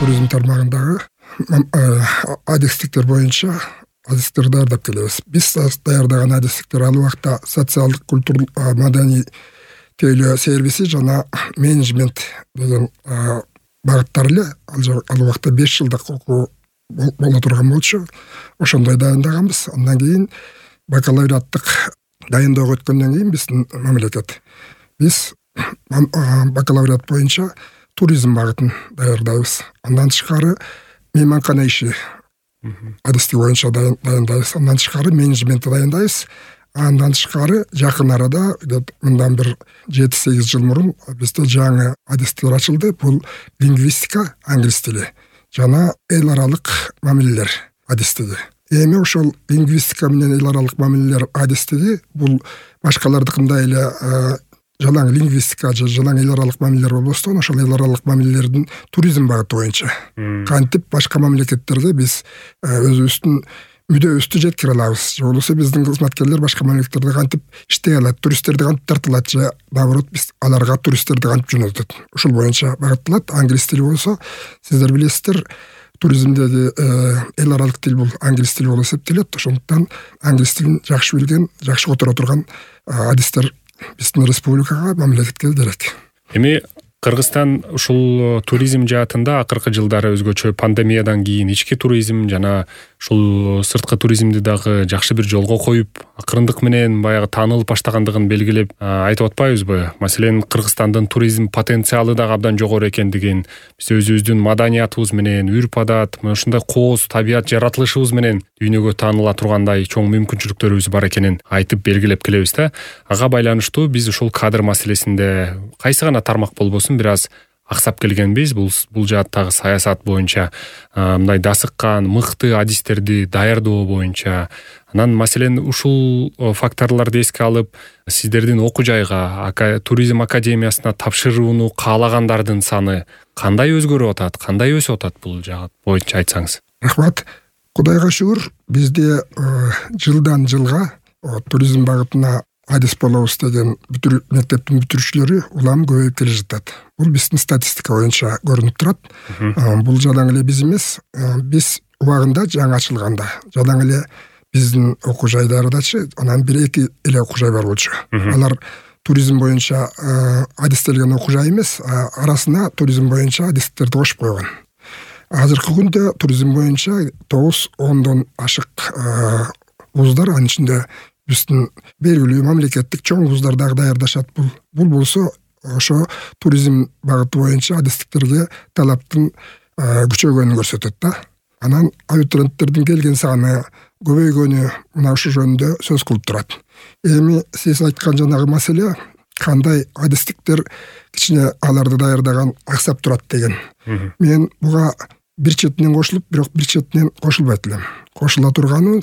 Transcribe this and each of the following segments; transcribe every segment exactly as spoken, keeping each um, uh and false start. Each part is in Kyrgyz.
туризм тармагындагы адистиктер боюнча адистиктерди даярдап келебиз. Биз даярдаган адистиктер ал убакта социалдык, культурлук, маданий тейлөө сервиси жана менеджмент деген багыттар эле. Ал убакта беш жылдык окуу боло турган болчу. Ошондой даяндаганбыз. Андан кийин бакалавриаттык дайындоого өткөндөн кийин биздин мамлекет биз бакалавриат боюнча туризм багытын даярдайбыз. Андан тышкары мейманкана иши адистик боюнча дайындайбыз. Андан тышкары менеджментти дайындайбыз. Андан тышкары жакын арада мындан бир жети-сегиз жыл мурун бизде жаңы адистиктер ачылды. Бул лингвистика, англис тили жана эл аралык мамилелер адистиги. Эми ошол лингвистика менен эл аралык мамилелер адистиги бул башкалардыкындай эле жалаң лингвистика же жалаң эл аралык мамилелер болбостон, ошол эл аралык мамилелердин туризм багыты боюнча кантип башка мамлекеттерге биз өзүбүздүн мүдөөбүздү жеткире алабыз, же болбосо биздин кызматкерлер башка мамлекеттерде кантип иштей алат, туристтерди кантип тартылат, же наоборот биз аларга туристтерди кантип жөнөтөт. Ушул боюнча багытталат. Англис тили болсо, сиздер билесиздер, туризмдеги эл аралык тил бул англис тили болуп эсептелет. Ошондуктан англис тилин жакшы билген, жакшы которо турган адистер биздин республикага, мамлекетке керек. Эми Кыргызстан ушул туризм жаатында акыркы жылдары өзгөчө пандемиядан кийин ички туризм жана ушул сырткы туризмди дагы жакшы бир жолго коюп, акырындык менен баягы таанылып баштагандыгын белгилеп айтып атпайбызбы? Маселен, Кыргызстандын туризм потенциалы дагы абдан жогору экендигин, биз өзүбүздүн маданиятыбыз менен, үрп-адат, мына ушундай кооз табият жаратылышыбыз менен дүйнөгө тааныла тургандай чоң мүмкүнчүлүктөрүбүз бар экенин айтып белгилеп келебиз да. Ага байланыштуу биз ушул кадр маселесинде кайсы гана тармак болбосун бир аз аксап келгенбиз. Бул бул жааттагы саясат боюнча мындай дасыккан мыкты адистерди даярдоо боюнча. Анан маселен ушул факторлорду эске алып, сиздердин окуу жайга, туризм академиясына тапшырууну каалагандардын саны кандай өзгөрүп атат, кандай өсүп атат бул жаат боюнча айтсаңыз. Рахмат. Кудайга шүгүр, бизде жылдан жылга туризм багытына адис болобуз деген бүтүр мектептин бүтүрүүчүлөрү улам көбөйүп келе жатат. Бул биздин статистика боюнча көрүнүп турат. Бул жалаң эле биз эмес, биз убагында жаңы ачылганда, жалаң эле биздин окуу жайдарыдачы анан бир-эки эле окуу жай бар болчу. Алар туризм боюнча адистелген окуу жай эмес, арасына туризм боюнча адистиктерди кошуп койгон. Азыркы күндө туризм боюнча тогуз ондон ашык вуздар, анын ичинде биздин белгилүү мамлекеттик чоң вуздар дагы даярдашат. Бул бул болсо ошо туризм багыты боюнча адистиктерге талаптын күчөгөнүн көрсөтөт да. Анан абитуриенттердин келген саны көбөйгөнү мына ушул жөнүндө сөз кылып турат. Эми сиз айткан жанагы маселе кандай адистиктер кичине аларды даярдаган аксап турат деген. Мен буга бир четинен кошулуп, бирок бир четинен кошулбайт элем. Кошула турганы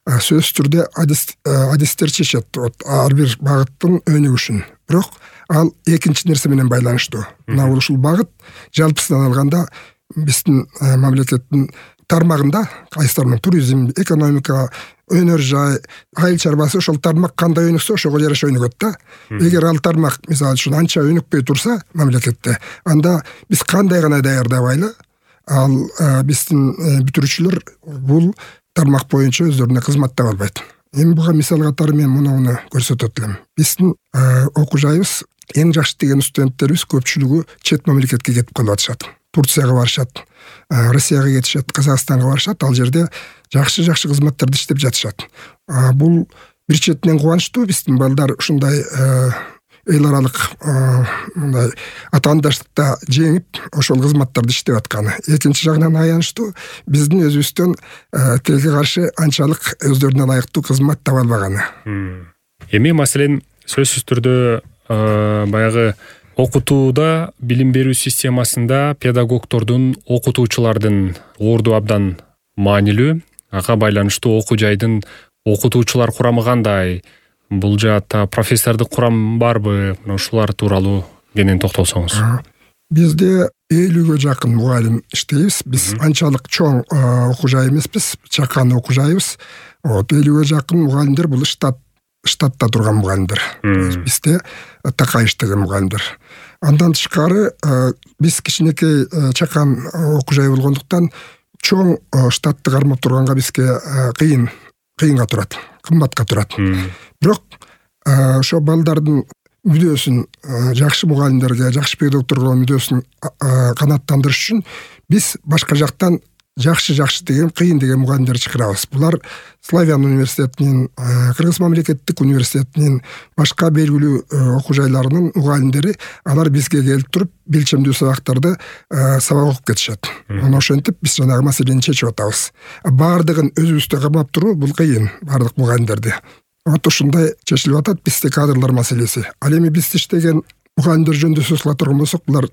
сөзсүз түрдө адистер чечет, ар бир багыттын өнүгүшүн. Бирок ал экинчи нерсе менен байланыштуу. Мына ушул багыт жалпысынан алганда биздин мамлекеттин тармагында кайсыларынын туризм, экономика, өнөр жай, айыл чарбасы ошол тармак кандай өнүксө ошого жараша өнүгөт да. Эгер ал тармак мисалы үчүн анча өнүкпөй турса мамлекетте, анда биз кандай гана даярдабайлы, ал биздин бүтүрүүчүлөр бул тармак боюнча өздөрүнө кызмат таба албайт. Эми буга мисал катары мен мунуну көрсөтөт элем. Биздин окуу жайыбыз эң жакшы деген студенттерибиз көпчүлүгү чет мамлекетке кетип калып атышат. Турцияга барышат, Россияга кетишет, Казакстанга барышат, ал жерде жакшы-жакшы кызматтарды иштеп жатышат. Бул бир четинен кубанычтуу, биздин балдар ушундай эл аралык мындай атаандаштыкта жеңип ошол кызматтарды иштеп атканы. Экинчи жагынан аянычтуу, биздин өзүбүздөн тилге каршы анчалык өздөрүнө ылайыктуу кызмат таба албаганы. Эми маселен сөзсүз түрдө баягы окутууда, билим берүү системасында педагогдордун, окутуучулардын орду абдан маанилүү. Ага байланыштуу окуу жайдын окутуучулар курамы кандай? Бул жаатта профессордук курам барбы? Ушулар тууралуу кенен токтолсоңуз. Бизде элүүгө жакын мугалим иштейбиз. Биз анчалык чоң окуу жай эмеспиз, чакан окуу жайыбыз. Вот элүүгө жакын мугалимдер бул штат штатта турган мугалимдер, бизде такай иштеген мугалимдер. Андан тышкары биз кичинекей чакан окуу жай болгондуктан чоң штатты кармап турганга бизге кыйын кыйынга турат, кымбатка турат. Бирок ошо балдардын мүдөөсүн, жакшы мугалимдерге, жакшы педагогдорго мүдөөсүн канааттандырыш үчүн биз башка жактан жакшы жакшы деген, кыйын деген мугалимдерди чакырабыз. Булар Славян университетинин, Кыргыз мамлекеттик университетинин, башка белгилүү окуу жайларынын мугалимдери, алар бизге келип туруп, белчемдүү сабактарды сабак окуп кетишет. Мына ошентип биз жанагы маселени чечип атабыз. Баардыгын өзүбүздө камап туруу бул кыйын, баардык мугалимдерди. Вот ушундай чечилип атат бизде кадрлар маселеси. Ал эми биз иштеген мугалимдер жөнүндө сөз кыла турган болсок, булар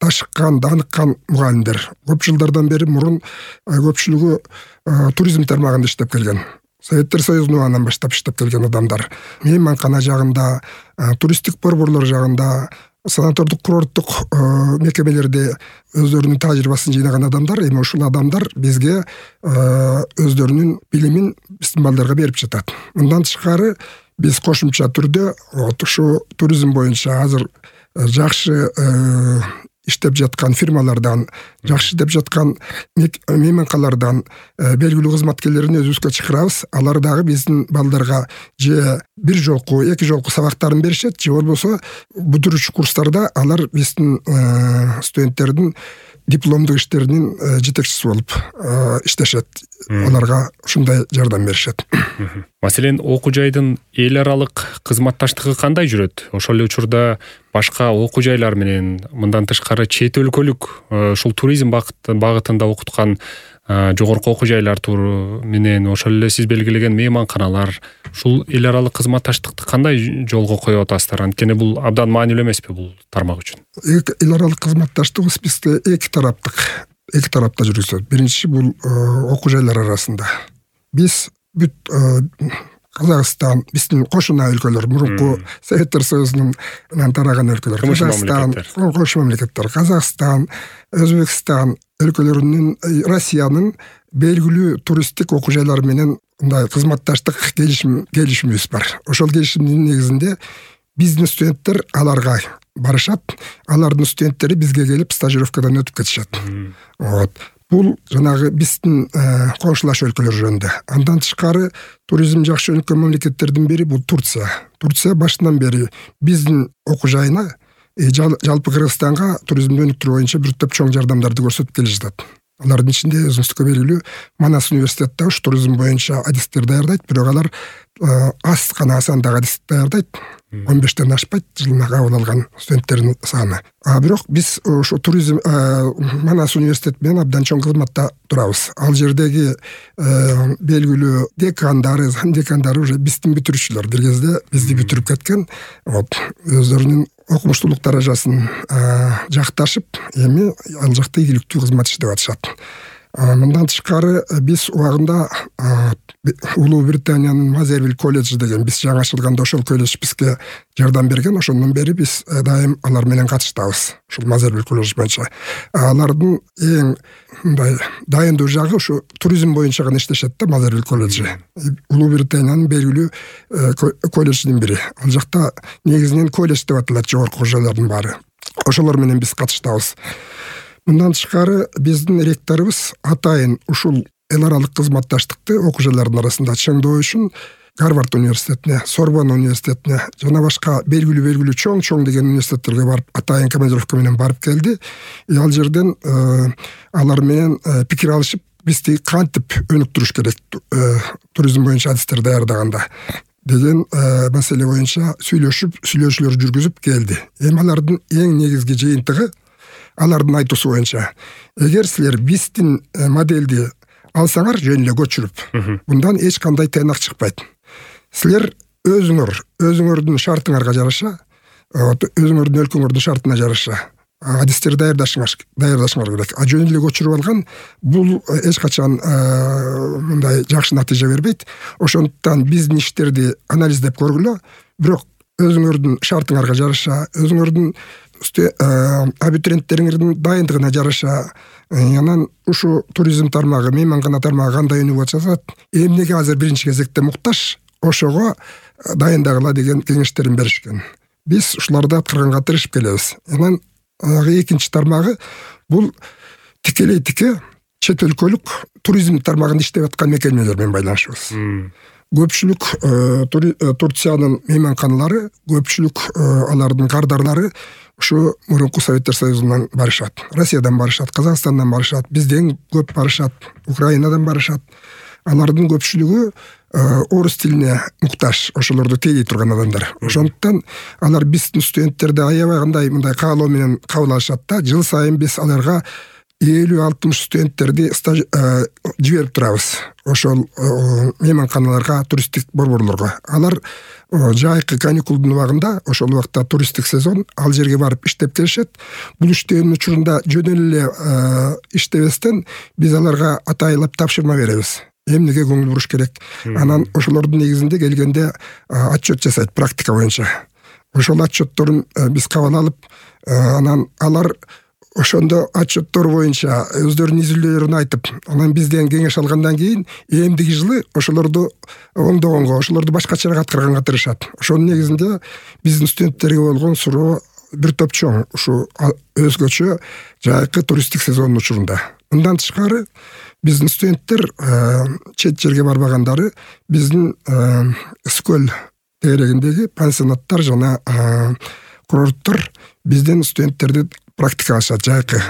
ташыккан, даныккан мугалимдер. Көп жылдардан бери мурун көпчүлүгү туризм тармагында иштеп келген. Советтер Союзунун убагынан баштап иштеп келген адамдар. Мейманкана жагында, туристтик борборлор жагында, санатордук курорттук мекемелерде өздөрүнүн тажрыйбасын жыйнаган адамдар, эми ушул адамдар бизге өздөрүнүн билимин биздин балдарга берип жатат. Мындан тышкары биз кошумча түрдө ушу туризм боюнча азыр жакшы иштеп жаткан фирмалардан, жакшы иштеп жаткан мейманкалардан белгилүү кызматкерлерин өзүбүзгө чакырабыз. Алар дагы биздин балдарга же бир жолку, эки жолку сабактарын беришет, же болбосо бүтүрүүчү курстарда алар биздин студенттердин дипломдук иштеринин жетекчиси болуп иштешет. Аларга ушундай жардам беришет. Маселен, окуу жайдын эл аралык кызматташтыгы кандай жүрөт? Ошол эле учурда башка окуу жайлар менен, мындан тышкары чет өлкөлүк ушул туризм багытында окуткан жогорку окуу жайлар менен, ошол эле сиз белгилеген мейманканалар, ушул эл аралык кызматташтыкты кандай жолго коюп атасыздар? Анткени бул абдан маанилүү эмеспи бул тармак үчүн? Эл аралык кызматташтыгыбыз бизде эки тараптык, эки тарапта жүргүзүлөт. Биринчи бул окуу жайлар арасында. Биз бүт Казакстан, биздин кошуна өлкөлөр, мурунку Советтер Союзунан тараган өлкөлөр, Казакстан, кошмо мамлекеттер, Казакстан, Өзбекстан өлкөлөрүнүн, Россиянын белгилүү туристтик окуу жайлары менен мындай кызматташтык келишим келишимибиз бар. Ошол келишимдин негизинде биздин студенттер аларга барышат, алардын студенттери бизге келип стажировкадан өтүп кетишет. Вот. Бул жанагы биздин кошулаш өлкөлөр жөнүндө. Андан тышкары туризм жакшы өнүккөн мамлекеттердин бири бул Турция. Турция башынан бери биздин окуу жайына, жалпы Кыргызстанга туризмди өнүктүрүү боюнча бир топ чоң жардамдарды көрсөтүп келе жатат. Алардын ичинде өзүңүзгө белгилүү Манас университетте ушу туризм боюнча адистер даярдайт, бирок алар аз гана сандагы адист даярдайт. он бештен ашпайт жылына кабыл алган студенттердин саны. А бирок биз ошо туризм Манас университет менен абдан чоң кызматта турабыз. Ал жердеги белгилүү декандары, декандары уже биздин бүтүрүүчүлөр, бир кезде бизди бүтүрүп кеткен. Вот өздөрүнүн окумуштуулук даражасын жакташып, эми ал жакта ийгиликтүү кызмат иштеп атышат. Мындан тышкары биз убагында Улуу Британиянын Мазервиль колледжи деген биз жаңы ачылганда ошол колледж бизге жардам берген. Ошондон бери биз дайым алар менен катыштабыз. Ушул Мазервиль колледж боюнча. Алардын эң мындай дайындоо жагы ушу туризм боюнча гана иштешет да, Мазервиль колледжи. Улуу Британиянын белгилүү колледждин бири. Ал жакта негизинен колледж деп аталат жогорку жайлардын баары. Ошолор менен биз катыштабыз. Мындан тышкары биздин ректорубуз атайын ушул эл аралык кызматташтыкты окуу жайлардын арасында чыңдоо үчүн Гарвард университетине, Сорбонна университетине жана башка белгилүү белгилүү чоң-чоң деген университеттерге барып, атайын командировка менен барып келди. И ал жерден алар менен пикир алышып, бизди кантип өнүктүрүш керек туризм боюнча адистер даярдаганда деген маселе боюнча сүйлөшүп, сүйлөшүүлөр жүргүзүп келди. Эми алардын эң негизги жыйынтыгы алардын айтуусу боюнча, эгер силер биздин модельди алсаңар жөн эле көчүрүп, мындан эч кандай тыйнак чыкпайт. Силер өзүңөр, өзүңөрдүн шартыңарга жараша, өзүңөрдүн өлкөңөрдүн шартына жараша адистер даярдашыңар, даярдашыңар керек. А жөн эле көчүрүп алган бул эч качан мындай жакшы натыйжа бербейт. Ошондуктан биздин иштерди анализдеп көргүлө, бирок өзүңөрдүн шартыңарга жараша, өзүңөрдүн абитуриенттериңердин дайындыгына жараша, анан ушу туризм тармагы, мейманкана тармагы кандай өнүгүп жатат, эмнеге азыр биринчи кезекте муктаж, ошого дайындагыла деген кеңештерин беришкен. Биз ушуларды аткарганга тырышып келебиз. Анан экинчи тармагы бул тикелей тике чет өлкөлүк туризм тармагында иштеп аткан мекемелер менен байланышыбыз. Көпчүлүк Турциянын мейманканалары, көпчүлүк алардын кардарлары ушу мурунку Советтер Союзунан барышат. Россиядан барышат, Казакстандан барышат, бизден көп барышат, Украинадан барышат. Алардын көпчүлүгү орус тилине муктаж, ошолорду тейлей турган адамдар. Ошондуктан алар биздин студенттерди аябагандай мындай каалоо менен кабыл алышат да, жыл сайын биз аларга элүү алтымыш студенттерди жиберип турабыз. Ошол мейманканаларга, туристтик борборлорго. Алар жайкы каникулдун убагында, ошол убакта туристтик сезон, ал жерге барып иштеп келишет. Бул иштөөнүн учурунда жөнөкөй эле иштебестен биз аларга атайлап тапшырма беребиз. Эмнеге көңүл буруш керек? Анан ошолордун негизинде келгенде отчет жасайт практика боюнча. Ошол отчетторун биз кабыл алып, анан алар ошондо отчеттор боюнча өздөрүнүн изилдөөлөрүн айтып, анан бизден кеңеш алгандан кийин эмдиги жылы ошолорду оңдогонго, ошолорду башкачараак аткарганга тырышат. Ошонун негизинде биздин студенттерге болгон суроо бир топ чоң, ушу өзгөчө жайкы туристтик сезондун учурунда. Мындан тышкары биздин студенттер чет жерге барбагандары биздин Скөл тегерегиндеги пансионаттар жана курорттор биздин студенттерди практика алышат жайкы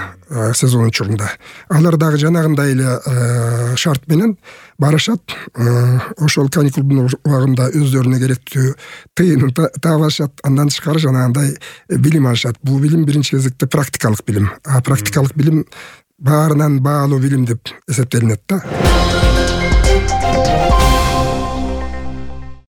сезон учурунда. Алар дагы жанагындай эле шарт менен барышат. Ошол каникулдун убагында өздөрүнө керектүү тыйынын таап алышат. Андан тышкары жанагындай билим алышат. Бул билим биринчи кезекте практикалык билим. А практикалык билим баарынан баалуу билим деп эсептелинет да.